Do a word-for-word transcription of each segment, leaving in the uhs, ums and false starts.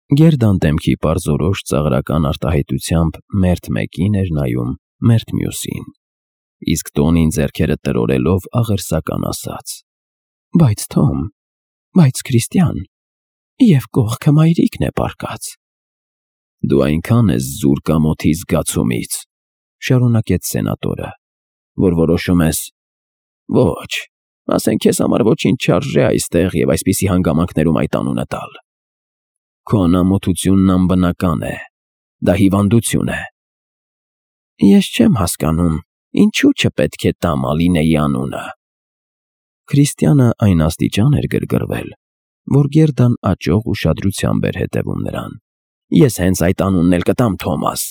Գերդան դեմքի պարզորոշ ծաղրական արտահայտությամբ մերթ մեկին էր նայում, մերթ մյուսին, իսկ Տոնին ձեռքերը տրորելով աղերսական ասաց. «Բայց Թոմ, բայց Քրիստիան, և կողքը մայրիկն է պառկած»։ «Դու այնքան ես զուր կամոթի զգացումից, ֊ շարունակեց սենատորը, ֊ որ որոշում ես. ոչ, ասենք քեզ համար ոչինչ չարժե այստեղ և այսպիսի հանգամանքներում այդ անունը տալ։ Քո անամոթությունն անբնական է, դա հիվանդություն է։ Ես չեմ հասկանում, ինչու չպետք է տամ Ալինեի անունը»։ Քրիստիանը այն աստիճան էր գրգռվել, որ Գերդան աճող ուշադրությամբ էր հետևում նրան։ «Ես հենց այդ անունն էլ կտամ, Թոմաս,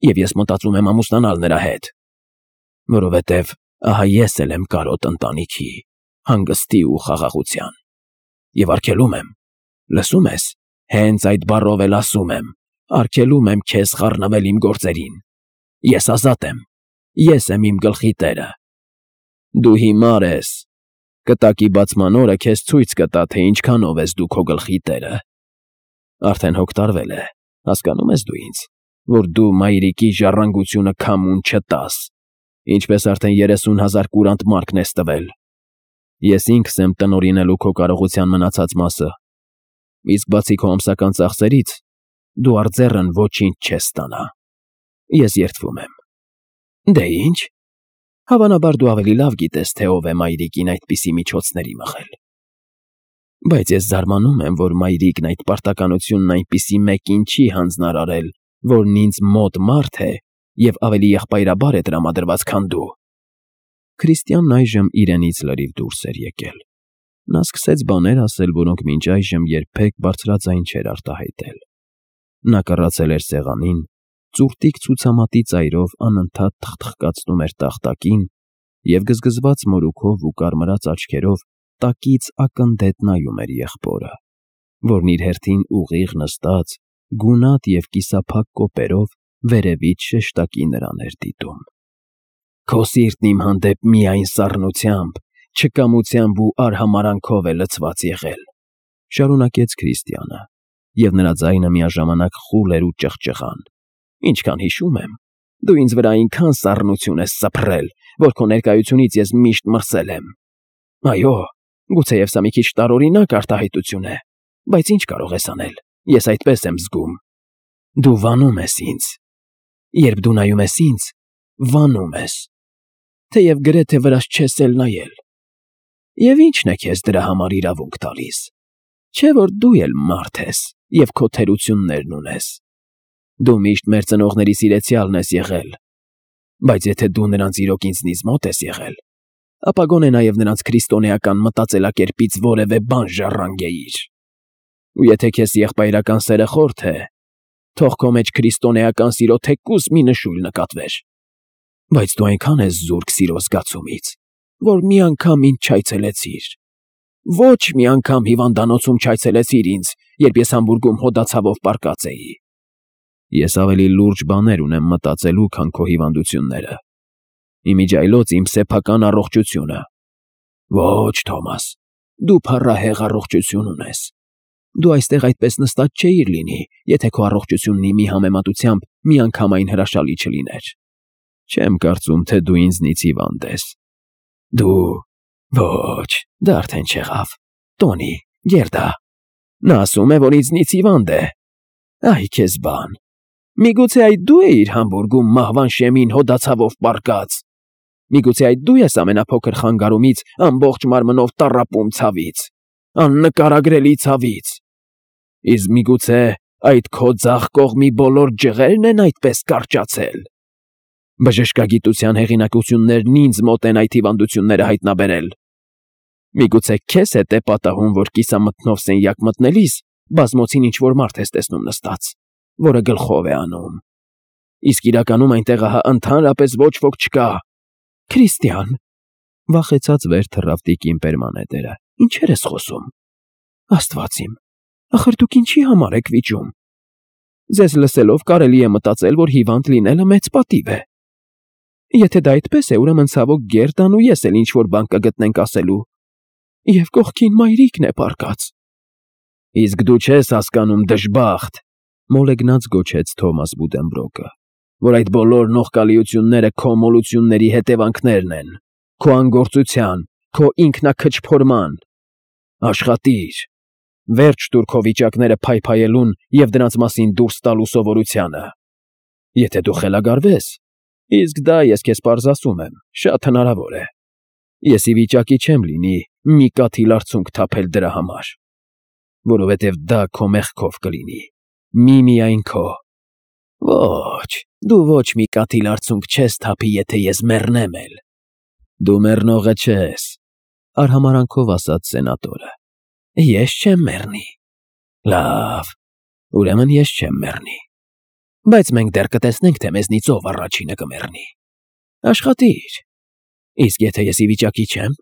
և ես մտածում եմ ամուսնանալ նրա հետ, որովհետև ահա ես էլ եմ կարոտ ընտանիքի, հանգստի ու խաղաղության։ Եվ արգելում եմ, լսո՞ւմ ես, հենց այդ բառով էլ ասում եմ, արգելում եմ քեզ խառնվել իմ գործերին։ Ես ազատ եմ, ես եմ իմ գլխի տերը։ Դու հիմար ես, կտակի բացման օրը քեզ ցույց կտա, թե ինչքանով ես դու քո գլխի տերը։ Արդեն հոգ տարվել է, հասկանո՞ւմ ես դու ինձ, որ դու մայրիկի ժառանգությունը քամուն չտաս, ինչպես արդեն երեսուն հազար կուրանտ մարքն ես տվել։ Ես ինքս եմ տնօրինելու քո կարողության մնացած մասը, իսկ բացի քո ամսական ծախսերից, դու արձեռն ոչինչ չես ստանա։ Ես երդվում եմ։ Դե ի՞նչ, հավանաբար դու ավելի լավ գիտես, թե ով է մայրիկին այդպիսի միջոցների մղել։ Բայց ես զարմանում եմ, որ մայրիկն այդ պարտականությունն այնպիսի մեկին չի հանձնարարել, որն ինձ մոտ մարդ է և ավելի եղբայրաբար է տրամադրված, քան դու։ Քրիստիանն այժմ իրենից լրիվ դուրս էր եկել։ Նա սկսեց բաներ ասել, որոնք մինչ այժմ երբեք բարձրաձայն չէր արտահայտել։ Նա կռացել էր սեղանին, ծուռտիկ ցուցամատի ծայրով անընդհատ թխթխկացնում էր տախտակին և գզգզված մորուքով ու կարմրած աչքերով տակից ակնդետ նայում էր եղբորը, որն իր հերթին ուղիղ նստած, գունատ և կիսափակ կոպերով վերևից շեշտակի նրան էր դիտում։ Քո սիրտն իմ հանդեպ միայն սառնությամբ, չկամությամբ ու արհամարհանքով է լցված եղել, ֊ շարունակեց Քրիստիանը, և նրա ձայնը միաժամանակ խուլ էր ու ճղճղան։ Ինչքան հիշում եմ, դու ինձ վրա այնքան սառնություն ես սփռել, որ քո ներկայությունից ես միշտ մրսել եմ։ Այո, գուցեև սա մի քիչ տարօրինակ արտահայտություն է, բայց ինչ կարող ես անել, ես այդպես եմ զգում։ Դու վանում ես ինձ։ Երբ դու նայում ես ինձ, վանում ես, թեև գրեթե վրաս չես էլ նայել։ Եվ ի՞նչն է քեզ դրա համար իրավունք տալիս։ Չէ՞ որ դու էլ մարդ ես և քո թերություններն ունես։ Դու միշտ մեր ծնողների սիրեցյալն ես եղել, բայց եթե դու նրանց իրոք ինձնից մոտ ես եղել, ապա գոնե նաև նրանց քրիստոնեական մտածելակերպից որևէ բան ժառանգեիր։ Ու եթե քեզ եղբայրական սերը խորթ է, թող քո մեջ քրիստոնեական սիրո թեկուզ մի նշույլ նկատվեր։ Բայց դու այնքան ես զուրկ սիրո զգացումից, որ մի անգամ ինձ չայցելեցիր։ Ոչ մի անգամ հիվանդանոցում չայցելեցիր ինձ, երբ ես Համբուրգում հոդացավով պառկած էի։ Ես ավելի լուրջ բաներ ունեմ մտածելու, քան քո հիվանդությունները։ Իմիջիայլոց իմ սեփական առողջությունը։ Ոչ, Թոմաս, դու փառահեղ առողջություն ունես։ Դու այստեղ այդպես նստած չէիր լինի, եթե քո առողջությունն իմի համեմատությամբ միանգամայն հրաշալի չլիներ։ Չեմ կարծում, թե դու ինձնից հիվանդ ես։ Դու… Ոչ, դա արդեն չեղավ։ Տոնի, Գերդա, նա ասում է, որ ինձնից հիվանդ է։ Այ քեզ բան։ Միգուցե այդ դու էիր Համբուրգում մահվան շեմին հոդացավով պառկած։ Միգուցե այդ դու ես ամենափոքր խանգարումից ամբողջ մարմնով տառապում ցավից, աննկարագրելի ցավից։ Իսկ միգուցե այդ քո ձախ կողմի բոլոր ջղերն են այդպես կարճացել։ Բժշկագիտության հեղինակություններն ինձ մոտ են այդ հիվանդությունները հայտնաբերել։ Միգուցե քեզ հետ է պատահում, որ կիսամթնով սենյակ մտնելիս բազմոցին ինչ-որ մարդ ես տեսնում նստած, որը գլխով է անում։ Իսկ իրականում այնտեղ ահա ընդհանրապես ոչ ոք չկա։ Քրիստիան, ֊ վախեցած վեր թռավ տիկին Պերմանեդերը, ֊ ինչեր ես խոսում։ Աստված իմ, ախր դուք ինչի համար եք վիճում։ Ձեզ լսելով կարելի է մտածել, որ հիվանդ լինելը մեծ պատիվ է։ Եթե դա այդպես է, ուրեմն ցավոք Գերդան ու ես էլ ինչ֊որ բան կգտնենք ասելու։ Եվ կողքին մայրիկն է պառկած։ Իսկ դու չես հասկանում, դժբախտ, մոլեգնած գոչեց Թոմաս Բուդենբրոկը, որ այդ բոլոր նողկալիությունները քո մոլությունների հետևանքներն են, քո անգործության, քո ինքնաքչփորման։ Աշխատիր, վերջ տուր քո վիճակները փայփայելուն և դրանց մասին դուրս տալու սովորությանը։ Եթե դու խելագարվես, իսկ դա ես քեզ պարզ ասում եմ, շատ հնարավոր է, ես ի վիճակի չեմ լինի մի կաթիլ արցունք թափել դրա համար, որովհետև դա քո մեղքով կլինի, միմիայն քո։ Ոչ, դու ոչ մի կաթիլ արցունք չես թափի, եթե ես մեռնեմ էլ։ Դու մեռնողը չես, արհամարանքով ասաց սենատորը։ Ես չեմ մեռնի։ Լավ, ուրեմն ես չեմ մեռնի։ Բայց մենք դեռ կտեսնենք, թե մեզնից ով առաջինը կմեռնի։ Աշխատիր։ Իսկ եթե ես ի վիճակի չեմ,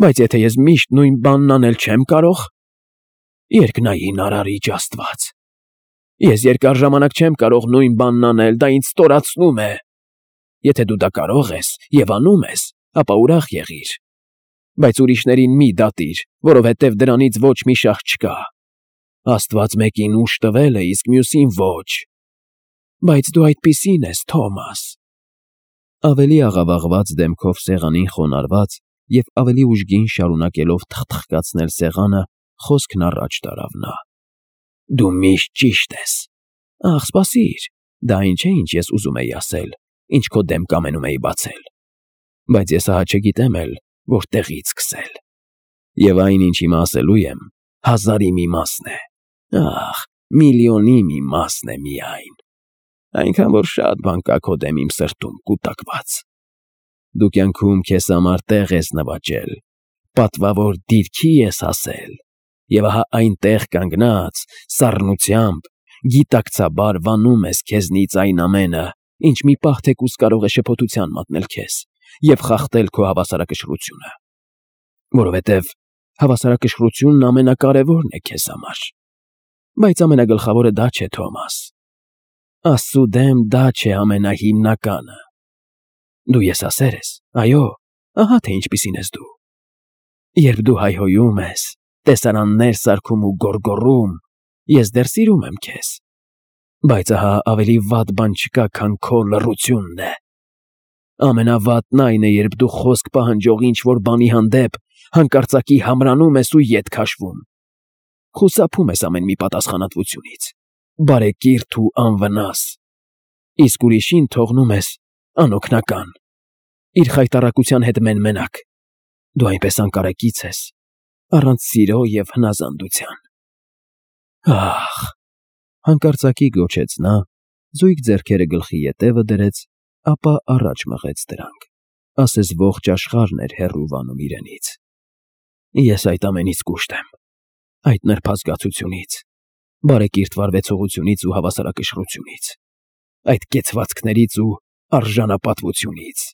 բայց եթե ես միշտ նույն բանն անել չեմ կարող, երկնային արարիչ Աստված, ես երկար ժամանակ չեմ կարող նույն բանն անել, դա ինձ ստորացնում է։ Եթե դու դա կարող ես և անում ես, ապա ուրախ եղիր, բայց ուրիշներին մի դատիր, որովհետև դրանից ոչ մի շահ չկա։ Աստված մեկին ուժ տվել է, իսկ մյուսին ոչ։ Բայց դու այդպիսին ես, Թոմաս։ Ավելի աղավաղված դեմքով սեղանին խոնարհված և ավելի ուժգին շարունակելով թխթխկացնել սեղանը, խոսքն առաջ տարավ նա։ Դու միշտ ճիշտ ես։ Ախ, սպասիր, դա ինչ է, ինչ ես ուզում էի ասել, ինչ քո դեմ կամենում էի բացել։ Բայց ես ահա չգիտեմ էլ, որտեղից սկսել։ Եվ այն, ինչ հիմա ասելու եմ, հազարի մի մասն է։ Ախ, միլիոնի մի մասն է միայն։ Այնքան, որ շատ բան կա քո դեմ իմ սրտում կուտակված։ Դու կյանքում քեզ համար տեղ ես նվաճել, պատվավոր դիրքի ես հասել, և ահա այնտեղ կանգնած, սառնությամբ, գիտակցաբար վանում ես քեզնից այն ամենը, ինչ մի պահ թեկուզ կարող է շփոթության մատնել քեզ և խախտել քո հավասարակշռությունը, որովհետև հավասարակշռությունն ամենակարևորն է քեզ համար։ Բայց ամենագլխավորը դա չէ, Թոմաս։ Աստծու դեմ դա չէ ամենահիմնականը։ Դու եսասեր ես, այո, ահա թե ինչպիսին ես դու։ Երբ դու հայհոյում ես, տեսարաններ սարքում ու գոռգոռում, ես դեռ սիրում եմ քեզ։ Բայց ահա ավելի վատ բան չկա, քան քո լռությունն է։ Ամենավատն այն է, երբ դու խոսք պահանջող ինչ-որ բանի հանդեպ հանկարծակի համրանում ես ու ետ քաշվում։ Խուսափում ես ամեն մի պատասխանատվությունից, բարեկիրթ ու անվնաս, իսկ ուրիշին թողնում ես անօգնական, իր խայտառակության հետ մեն֊մենակ։ Դու այնպես անկարեկից ես, առանց սիրո և հնազանդության։ Ախ, հանկարծակի գոչեց նա, զույգ ձեռքերը գլխի ետևը դրեց, ապա առաջ մղեց դրանք, ասես ողջ աշխարհն էր հեռու վանում իրենից։ Ես այդ ամենից կուշտ եմ, այդ նրբազգացությունից, բարեկիրթ վարվեցողությունից ու հավասարակշռությունից, այդ կեցվածքներից ու արժանապատվությունից,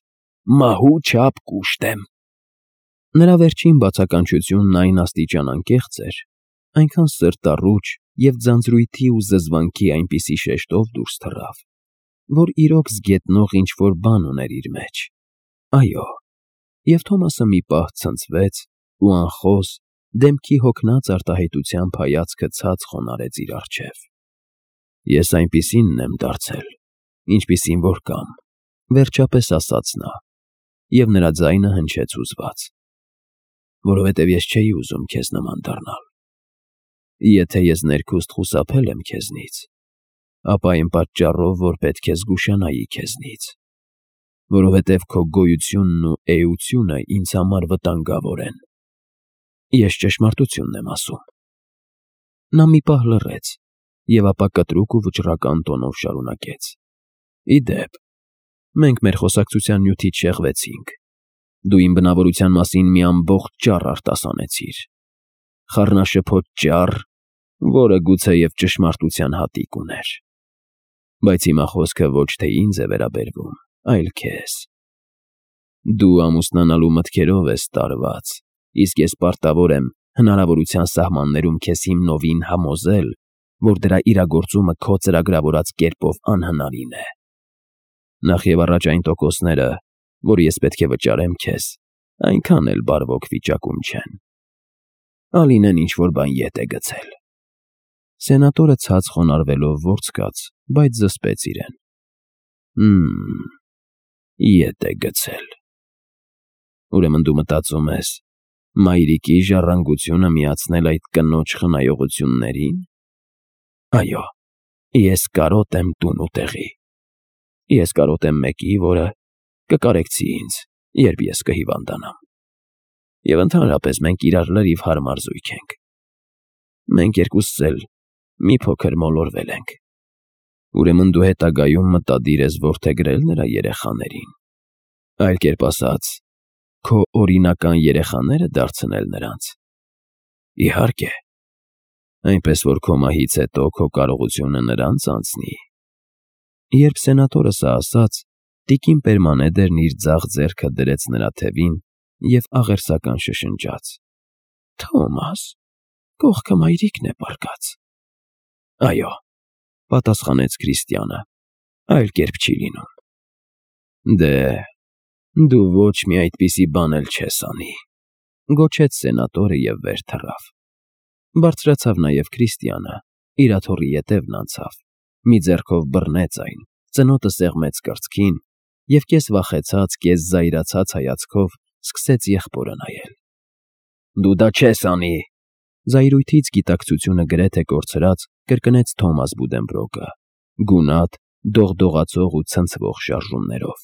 մահու չափ կուշտ եմ։ Նրա վերջին բացականչությունն այն աստիճան անկեղծ էր, այնքան սրտառուչ և ձանձրույթի ու զզվանքի այնպիսի շեշտով դուրս թռավ, որ իրոք զգետնող ինչ-որ բան ուներ իր մեջ։ Այո, և Թոմասը մի պահ ցնցվեց ու անխոս, դեմքի հոգնած արտահայտությամբ հայացքը ցած խոնարհեց իր առջև։ Ես այնպիսինն եմ դարձել, ինչպիսին որ կամ, վերջապես ասաց նա, և նրա ձայնը հնչեց հուզված, որովհետև ես չէի ուզում քեզ նման դառնալ։ Եթե ես ներքուստ խուսափել եմ քեզնից, ապա այն պատճառով, որ պետք է զգուշանայի քեզնից, որովհետև քո գոյությունն ու էությունը ինձ համար վտանգավոր են։ Ես ճշմարտությունն եմ ասում։ Նա մի պահ լռեց և ապա կտրուկ ու վճռական տոնով շարունակեց. Ի դեպ, մենք մեր խոսակցության նյութից շեղվեցինք։ Դու իմ բնավորության մասին մի ամբողջ ճառ արտասանեցիր, խառնաշփոթ ճառ, որը գուցեև ճշմարտության հատիկ ուներ։ Բայց հիմա խոսքը ոչ թե ինձ է վերաբերվում, այլ քեզ։ Դու ամուսնանալու մտքերով ես տարված, իսկ ես պարտավոր եմ հնարավորության սահմաններում քեզ հիմնովին համոզել, որ դրա իրագործումը քո ծրագրավորած կերպով անհնարին է։ Նախ և առաջ այն տոկոսները, որ ես պետք է վճարեմ քեզ, այնքան էլ բարվոք վիճակում չեն։ Ալինեն ինչ-որ բան ետ է գցել։ Սենատորը ցած խոնարհվելով ворցկաց, բայց զսպեց իրեն։ Հմ, ետ է գցել։ Ուրեմն դու մտածում ես, մայրիկի ժառանգությունը միացնել այդ կնոջ խնայողություններին։ Այո, ես կարոտ եմ տուն ու տեղի։ Ես կարոտ եմ մեկի, որը կկարեկցի ինձ, երբ ես կհիվանդանամ։ Եվ ընդհանրապես մենք իրար լրիվ հարմար զույգ ենք։ Մենք երկուսս էլ մի փոքր մոլորվել ենք։ Ուրեմն դու հետագայում մտադիր ես որդեգրել նրա երեխաներին։ Այլ կերպ ասած, քո օրինական երեխաները դարձնել նրանց։ Իհարկե, այնպես որ քո մահից հետո քո կարողությունը նրանց անցնի։ Երբ սենատորը սա ասաց, տիկին Պերմանեդերն իր ձախ ձեռքը դրեց նրա թևին և աղերսական շշնջաց. Թոմաս, կողքը մայրիկն է պառկած։ Այո, պատասխանեց Քրիստիանը, այլ կերպ չի լինում։ Դե, դու ոչ մի այդպիսի բան էլ չես անի, գոչեց սենատորը և վեր թռավ։ Բարձրացավ նաև Քրիստիանը, իր աթոռի ետևն անցավ, մի ձեռքով բռնեց այն, ծնոտը սեղմեց կրծքին և կես վախեցած, կես զայրացած հայացքով սկսեց եղբորը նայել։ Դու դա չես անի, զայրույթից գիտակցությունը գրեթե կորցրած, կրկնեց Թոմաս Բուդենբրոկը, գունատ, դողդողացող ու ցնցվող շարժումներով։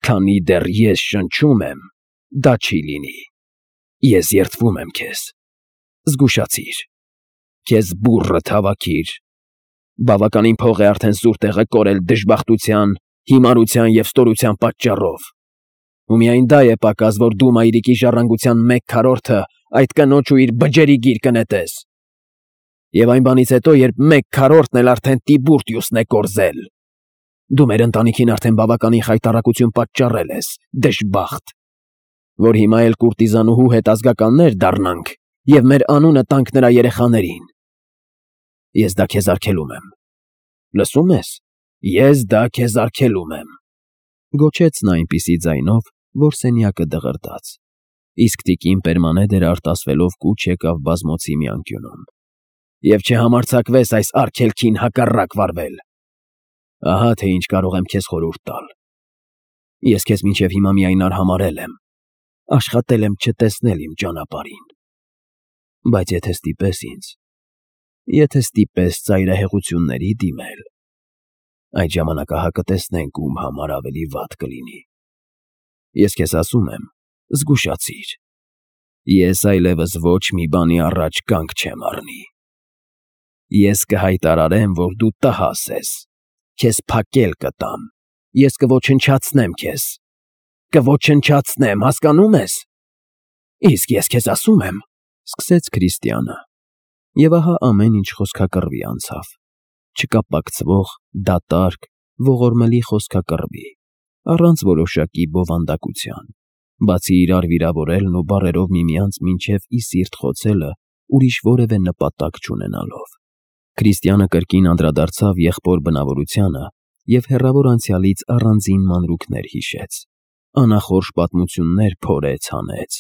Քանի դեռ ես շնչում եմ, դա չի լինի։ Ես երդվում եմ քեզ։ Զգուշացիր։ Քեզ բուռը թավաքիր։ Բավականին փող է արդեն սուր տեղը կորել դժբախտության, հիմարության և ստորության պատճառով։ Ու միայն դա է պակաս, որ դու մայրիկի ժառանգության մեկ քառորդը այդ կնոջ ու իր բջերի գիրկը նետես։ Եվ այն բանից հետո, երբ մեկ քառորդն էլ արդեն Տիբուրտիուսն է կորզել։ Դու մեր ընտանիքին արդեն բավականին խայտառակություն պատճառել ես, դժբախտ, որ հիմա էլ կուրտիզանուհու հետ ազգականներ դառնանք և մեր անունը տանք նրա երեխաներին։ Ես դա քեզ արգելում եմ։ Լսո՞ւմ ես։ Ես դա քեզ արգելում եմ, գոչեց նա այնպիսի ձայնով, որ սենյակը դղրդաց, իսկ տիկին Պերմանեդերը արտասվելով կուչ եկավ բազմոցի մի անկյունում։ Եվ չհամարձակվես այս արգելքին հակառակ վարվել։ Ահա թե ինչ կարող եմ քեզ խորհուրդ տալ։ Ես քեզ մինչև հիմա միայն արհամարհել եմ, աշխատել եմ չտեսնել իմ ճանապարհին։ Բայց եթե ստիպես ինձ, եթե ստիպես ծայրահեղությունների դիմել, այդ ժամանակ ահա կտեսնենք ում համար ավելի վատ կլինի։ Ես քեզ ասում եմ, զգուշացիր։ Ես այլևս ոչ մի բանի առաջ կանգ չեմ առնի։ Ես կհայտարարեմ, որ դու տհաս ես, քեզ փակել կտամ, ես կոչնչացնեմ քեզ, կոչնչացնեմ, հասկանո՞ւմ ես։ Իսկ ես քեզ ասում եմ, սկսեց Քրիստիանը, և ահա ամեն ինչ խոսքակռվի անցավ, չկապակցվող, դատարկ, ողորմելի խոսքակռվի, առանց որոշակի բովանդակության, բացի իրար վիրավորելն ու բառերով միմյանց մինչև ի սիրտ խոցելը ուրիշ որևէ նպատակ չունենալով։ Քրիստիանը կրկին անդրադարձավ եղբոր բնավորությանը և հեռավոր անցյալից առանձին մանրուքներ հիշեց, անախորժ պատմություններ փորեց հանեց,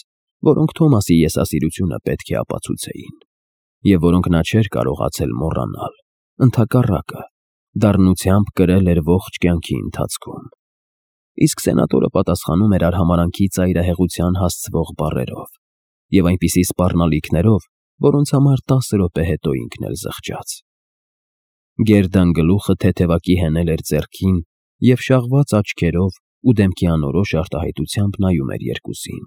որոնք Թոմասի եսասիրությունը պետք է ապացուցեին, և որոնք նա չէր կարողացել մոռանալ, ընդհակառակը, դառնությամբ կրել էր ողջ կյանքի ընթացքում։ Իսկ սենատորը պատասխանում էր արհամարանքի ծայրահեղության հասցվող բառերով և այնպիսի սպառնալիքներով, որոնց համար տասը րոպե հետո ինքն էլ զղջաց։ Գերդան գլուխը թեթևակի հենել էր ձեռքին և շաղված աչքերով ու դեմքի անորոշ արտահայտությամբ նայում էր երկուսին։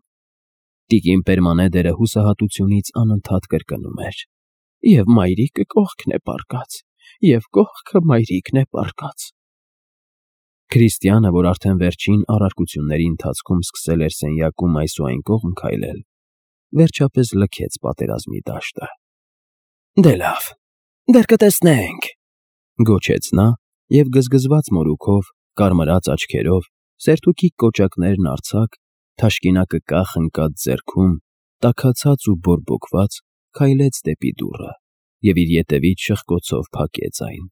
Տիկին Պերմանեդերը հուսահատությունից անընդհատ կրկնում էր. Եվ մայրիկը կողքն է պառկած, և կողքը մայրիկն է պառկած։ Քրիստիանը, որ արդեն վերջին առարկությունների ընթացքում սկսել էր սենյակում այս ու այն կողմ քայլել, վերջապես լքեց պատերազմի դաշտը։ Դե լավ, դեռ կտեսնենք, գոչեց նա և գզգզված մորուքով, կարմրած աչքերով, սերթուքի կոճակներն արձակ, թաշկինակը կախ ընկած ձեռքում, տաքացած ու բորբոքված, քայլեց դեպի դուռը և իր ետևից շխկոցով փակեց այն։